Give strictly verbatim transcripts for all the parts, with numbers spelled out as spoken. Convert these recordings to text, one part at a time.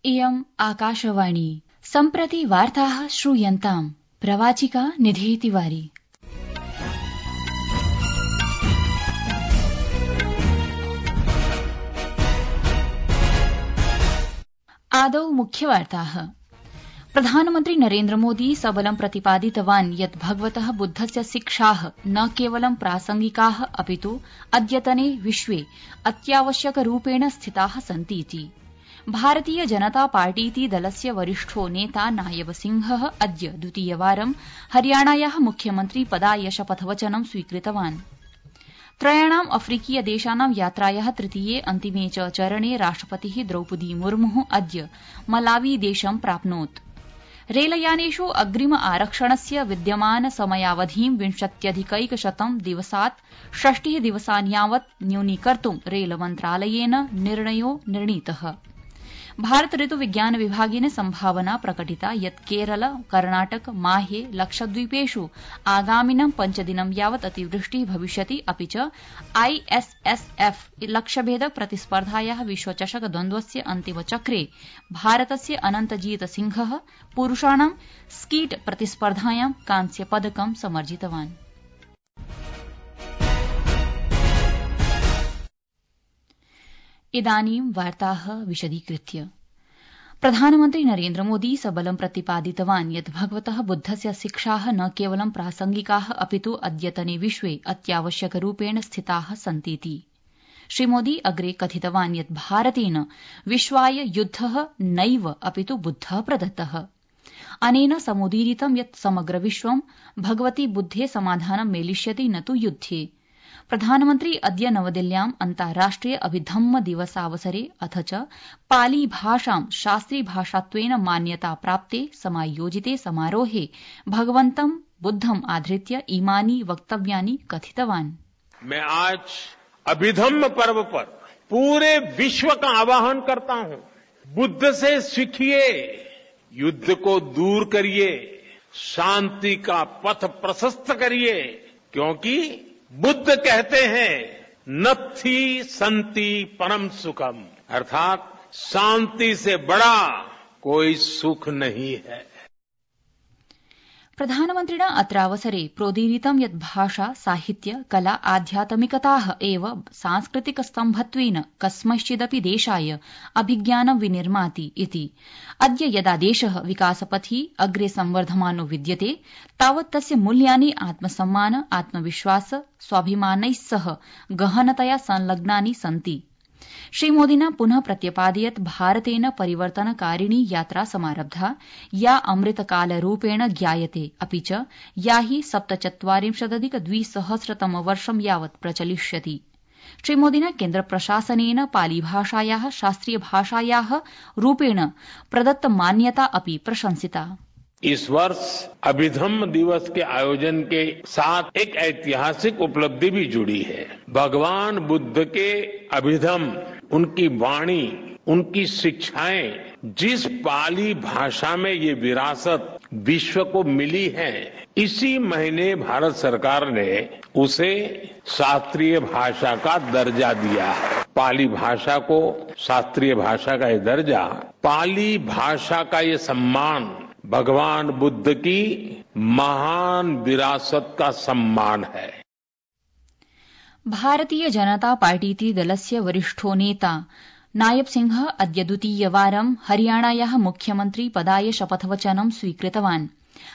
इयम् आकाशवाणी सम्प्रति वार्ताः श्रूयन्ताम् प्रवाचिका निधि तिवारी। आदौ मुख्यवार्ताः। प्रधानमन्त्री नरेन्द्र मोदी सबलं प्रतिपादितवान् यत् भगवतः बुद्धस्य शिक्षाः न केवलं प्रासंगिकाः अपितु अद्यतने विश्वे अत्यावश्यकरूपेण स्थिताः सन्तीति। भारतीय जनता पार्टीति दलस्य वरिष्ठो नेता नायब सिंहः अद्य द्वितीयवारं हरियाणायाः मुख्यमन्त्री पदाय शपथवचनं स्वीकृतवान्। त्रयाणाम् अफ्रीकीय देशानां यात्रायाः तृतीये अन्तिमे च चरणे राष्ट्रपतिः द्रौपदी मुर्मुः अद्य मलावी देशं प्राप्नोत्। रेलयानेषु अग्रिम आरक्षणस्य विद्यमान समयावधिं विंशत्यधिकैकशतं दिवसात् षष्टिः दिवसान् यावत् न्यूनीकर्तुं रेलमन्त्रालयेन निर्णयो निर्णीतः। भारत ऋतु विज्ञान विभागेन संभावना प्रकटिता यत् केरल, कर्णाटक, माहे, लक्षद्वीपेषु आगामिनं पञ्चदिनं यावत् अतिवृष्टिः भविष्यति। अपि च आईएसएसएफ लक्ष्यभेदक प्रतिस्पर्धायाः विश्वचषक द्वन्द्वस्य अन्तिमचक्रे भारतस्य अनन्तजीत सिंहः पुरुषाणां स्कीट प्रतिस्पर्धायां कांस्यपदकं समर्जितवान्। इदानीं वार्ताः विशदीकृत्य। प्रधानमन्त्री नरेन्द्र मोदी सबलं प्रतिपादितवान् यत् भगवतः बुद्धस्य शिक्षाः न केवलं प्रासंगिकाः अपितु अद्यतने विश्वे अत्यावश्यकरूपेण स्थिताः सन्तीति। श्रीमोदी अग्रे कथितवान् यत् भारतेन विश्वाय युद्धः नैव अपितु बुद्धः प्रदत्तः। अनेन समुदीरितं यत् समग्र विश्वं भगवति बुद्धे समाधानं मेलिष्यति न तु युद्धे। प्रधानमन्त्री अद्य नवदिल्ल्याम् अन्ताराष्ट्रिय अभिधम्म दिवसावसरे अथ च पाली भाषां शास्त्रीभाषात्वेन मान्यता प्राप्ते समायोजिते समारोहे भगवन्तं बुद्धम् आधृत्य इमानि वक्तव्यानि कथितवान्। मैं आज अभिधम्म पर्व पर पूरे विश्व का आह्वान करता हूं, बुद्ध से सीखिए, युद्ध को दूर करिए, शांति का पथ प्रशस्त करिए, क्योंकि बुद्ध कहते हैं नत्थि सन्ति परम सुखम, अर्थात शांति से बड़ा कोई सुख नहीं है। प्रधानमन्त्रिणा अत्रावसरे प्रोदीरितं यत् भाषा, साहित्य, कला, आध्यात्मिकताः एव सांस्कृतिकस्तम्भत्वेन कस्मैश्चिदपि देशाय अभिज्ञानं विनिर्माति इति। अद्य यदा देशः विकासपथि अग्रे संवर्धमानो विद्यते तावत् तस्य मूल्यानि आत्मसम्मान, आत्मविश्वास, स्वाभिमानैः सह गहनतया संलग्नानि सन्ति। श्रीमोदिना पुनः प्रत्यपादयत् भारतेन परिवर्तनकारिणी यात्रा समारब्धा या अमृतकालरूपेण ज्ञायते, अपि च या हि सप्तचत्वारिंशदधिक द्विसहस्रतमवर्षं यावत् प्रचलिष्यति। श्रीमोदिना केन्द्रप्रशासनेन पालीभाषायाः शास्त्रीयभाषायाः रूपेण प्रदत्तमान्यता अपि प्रशंसिता। इस वर्ष अभिधम्म दिवस के आयोजन के साथ एक ऐतिहासिक उपलब्धि भी जुड़ी है। भगवान बुद्ध के अभिधम्म, उनकी वाणी, उनकी शिक्षाएं, जिस पाली भाषा में ये विरासत विश्व को मिली है, इसी महीने भारत सरकार ने उसे शास्त्रीय भाषा का दर्जा दिया है। पाली भाषा को शास्त्रीय भाषा का ये दर्जा, पाली भाषा का ये सम्मान भगवान बुद्ध की महान विरासत का सम्मान है। भारतीय जनता पार्टीति दलस्य वरिष्ठो नेता नायब सिंह अद्य द्वितीयवारं हरियाणायाः मुख्यमन्त्री पदाय शपथवचनं स्वीकृतवान्।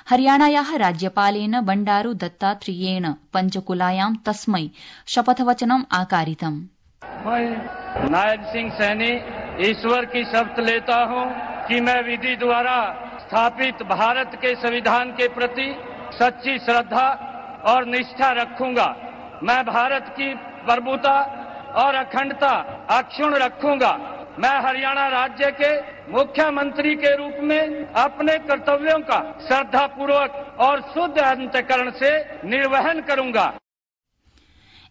हरियाणायाः राज्यपालेन बंडारू दत्तात्रेयेण पंचकुलायां तस्मै शपथवचनम् आकारितम्। मैं नायब सिंह सैनी ईश्वर की शपथ लेता हूं कि मैं विधि द्वारा स्थापित भारत के संविधान के प्रति सच्ची श्रद्धा और निष्ठा रखूंगा। मैं भारत की प्रभुता और अखंडता अक्षुण्ण रखूंगा। मैं हरियाणा राज्य के मुख्यमंत्री के रूप में अपने कर्तव्यों का श्रद्धापूर्वक और शुद्ध अंतःकरण से निर्वहन करूंगा।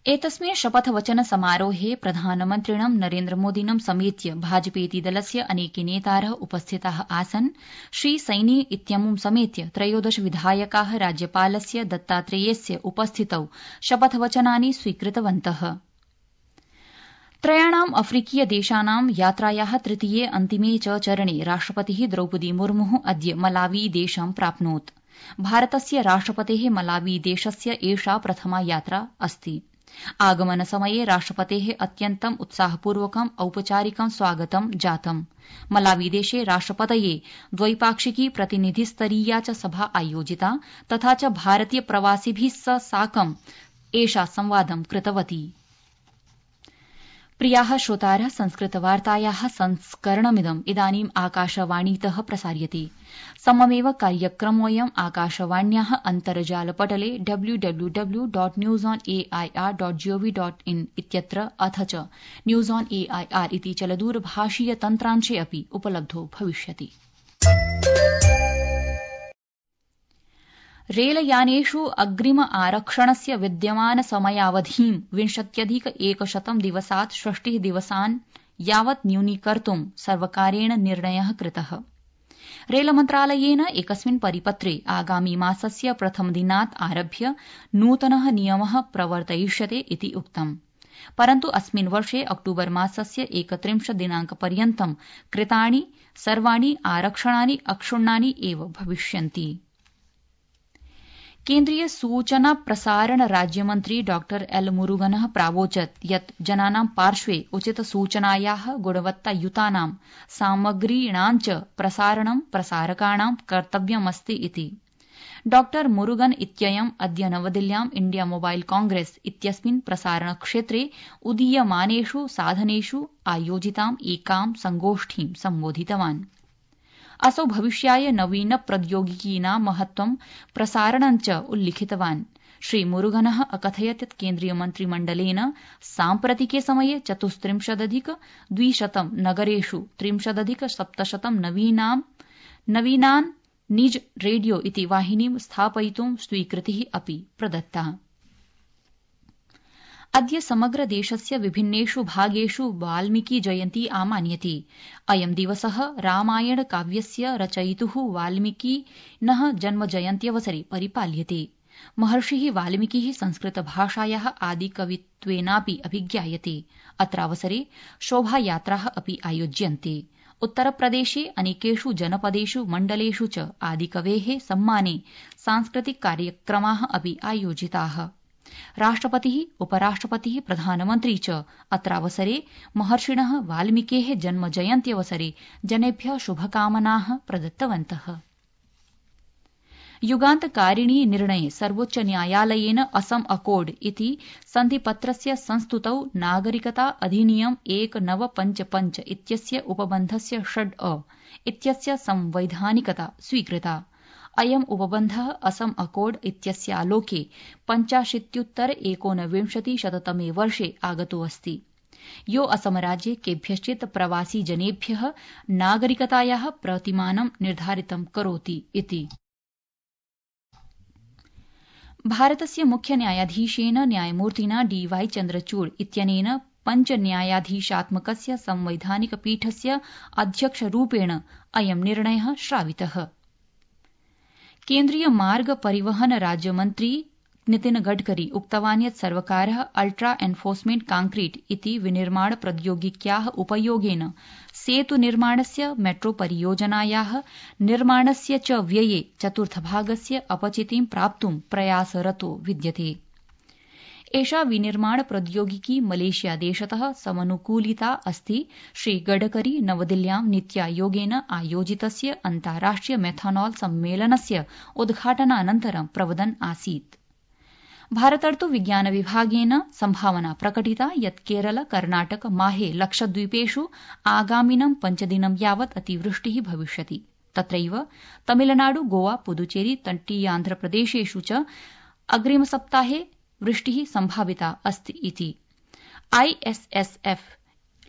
एतस्मिन् शपथवचन समारोहे प्रधानमन्त्रिणं नरेन्द्र मोदिनं समेत्य भाजपेति दलस्य अनेके नेतारः उपस्थिताः आसन्। श्री सैनी इत्यमुं समेत्य त्रयोदश विधायकाः राज्यपालस्य दत्तात्रेयस्य उपस्थितौ शपथवचनानि स्वीकृतवन्तः। त्रयाणाम् अफ्रीकीय देशानां यात्रायाः तृतीये अन्तिमे च चरणे राष्ट्रपतिः द्रौपदी मुर्मुः अद्य मलावी देशं प्राप्नोत्। भारतस्य राष्ट्रपतेः मलावी देशस्य एषा प्रथमा यात्रा अस्ति। आगमनसमये राष्ट्रपतेः अत्यन्तम् उत्साहपूर्वकम् औपचारिकं स्वागतं जातम्। मलावीदेशे राष्ट्रपतये द्वैपाक्षिकी प्रतिनिधिस्तरीया च सभा आयोजिता तथा च भारतीय प्रवासिभिः सह साकम् एषा संवादं कृतवती। प्रियाः श्रोतारः, संस्कृतवार्तायाः संस्करणमिदम् इदानीम् आकाशवाणीतः प्रसार्यते। सममेव कार्यक्रमोऽयम् आकाशवाण्याः अन्तर्जालपटले W W W dot news on A I R dot G O V dot in इत्यत्र अथ च news on A I R इति चलदूरभाषीय तन्त्रांशे अपि उपलब्धो भविष्यति। रेलयानेषु अग्रिम आरक्षणस्य विद्यमान समयावधिं विंशत्यधिक एकशतं दिवसात् षष्टिः दिवसान् यावत् न्यूनीकर्तुं सर्वकारेण निर्णयः कृतः। रेलमन्त्रालयेन एकस्मिन् परिपत्रे आगामि मासस्य प्रथमदिनात् आरभ्य नूतनः नियमः प्रवर्तयिष्यते इति उक्तम्। परन्तु अस्मिन् वर्षे अक्टूबर मासस्य एकत्रिंशत् दिनांकपर्यन्तं कृतानि सर्वाणि आरक्षणानि अक्षुण्णानि एव भविष्यन्ति। केन्द्रीय सूचना प्रसारण राज्यमन्त्री डॉ एल मुरुगनः प्रावोचत् यत् जनानां पार्श्वे उचित सूचनायाः गुणवत्तायुतानां सामग्रीणां च प्रसारणं प्रसारकाणां कर्तव्यमस्ति इति। डॉ मुरुगन इत्ययम् अद्य नवदिल्ल्यां इंडिया मोबाइल कांग्रेस इत्यस्मिन् प्रसारणक्षेत्रे उदीयमानेषु साधनेषु आयोजिताम् एकां संगोष्ठीं सम्बोधितवान्। असौ भविष्याय नवीन प्रौद्योगिकीनां महत्वं प्रसारणं च उल्लिखितवान्। श्रीमुरुगनः अकथयत् यत् केन्द्रीयमन्त्रिमण्डलेन साम्प्रतिके समये चतुस्त्रिंशदधिक द्विशतं नगरेषु त्रिंशदधिक सप्तशतं नवीनान् निज रेडियो इति वाहिनीं स्थापयितुं स्वीकृतिः अपि प्रदत्ता। अद्य समग्र देशस्य विभिन्नेषु भागेषु वाल्मीकि जयन्ती आमान्यते। अयं दिवसः रामायण काव्यस्य रचयितुः वाल्मीकिनः जन्मजयन्त्यवसरे परिपाल्यते। महर्षिः वाल्मीकिः संस्कृतभाषायाः आदिकवित्वेनापि अभिज्ञायते। अत्रावसरे शोभायात्राः अपि आयोज्यन्ते। उत्तरप्रदेशे अनेकेषु जनपदेषु मण्डलेषु च आदिकवेः सम्माने सांस्कृतिक कार्यक्रमाः अपि आयोजिताः। राष्ट्रपतिः, उपराष्ट्रपतिः, प्रधानमन्त्री च अत्रावसरे महर्षिणः वाल्मीकेः जन्मजयन्त्यवसरे जनेभ्यः शुभकामनाः प्रदत्तवन्तः। युगान्तकारिणी निर्णये सर्वोच्च न्यायालयेन असम अकोर्ड इति सन्धिपत्रस्य संस्तुतौ नागरिकता अधिनियम एक नव पंच पंच इत्यस्य उपबन्धस्य षड् अ इत्यस्य संवैधानिकता स्वीकृता। अयम् उपबन्धः असम अकोर्ड इत्यस्यालोके पञ्चाशीत्युत्तर एकोनविंशति शततमे वर्षे आगतोऽस्ति, यो असमराज्ये केभ्यश्चित् प्रवासी जनेभ्यः नागरिकतायाः प्रतिमानं निर्धारितं करोति इति। भारतस्य मुख्य न्यायाधीशेन न्यायमूर्तिना डी वाई चन्द्रचूड़ इत्यनेन पञ्च न्यायाधीशात्मकस्य संवैधानिक पीठस्य अध्यक्षरूपेण अयं निर्णयः श्रावितः। केन्द्रीय मार्ग परिवहन राज्यमन्त्री नितिन गडकरी उक्तवान् यत् सर्वकारः अल्ट्रा एन्फोर्समेंट कांक्रीट इति विनिर्माण प्रौद्योगिक्याः उपयोगेन सेतु निर्माणस्य मेट्रो परियोजनायाः निर्माणस्य च व्यये चतुर्थभागस्य अपचितिं प्राप्तुं प्रयासरतो विद्यते। एषा विनिर्माण प्रौद्योगिकी मलेशिया देशतः समनुकूलिता अस्ति। श्री गडकरी नवदिल्ल्यां नीत्यायोगेन आयोजितस्य अन्ताराष्ट्रिय मेथनॉल सम्मेलनस्य उद्घाटनानन्तरं प्रवदन् आसीत्। भारतर्तु विज्ञान विभागेन सम्भावना प्रकटिता यत् केरल, कर्णाटक, माहे, लक्षद्वीपेषु आगामिनं पञ्चदिनं यावत् अतिवृष्टिः भविष्यति। तत्रैव तमिलनाडु, गोवा, पुदुचेरी, तटीयान्ध्रप्रदेशेषु च अग्रिमसप्ताहे वृष्टिः सम्भाविता अस्ति इति। आईएसएसएफ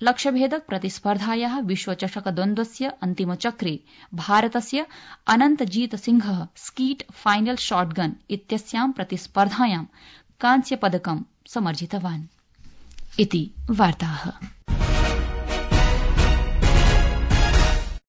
लक्ष्यभेदक प्रतिस्पर्धायाः विश्वचषकद्वन्द्वस्य अन्तिमचक्रे भारतस्य अनन्तजीत सिंहः स्कीट फाइनल शॉटगन इत्यस्यां प्रतिस्पर्धायां कांस्यपदकं समर्जितवान् इति वार्ताः।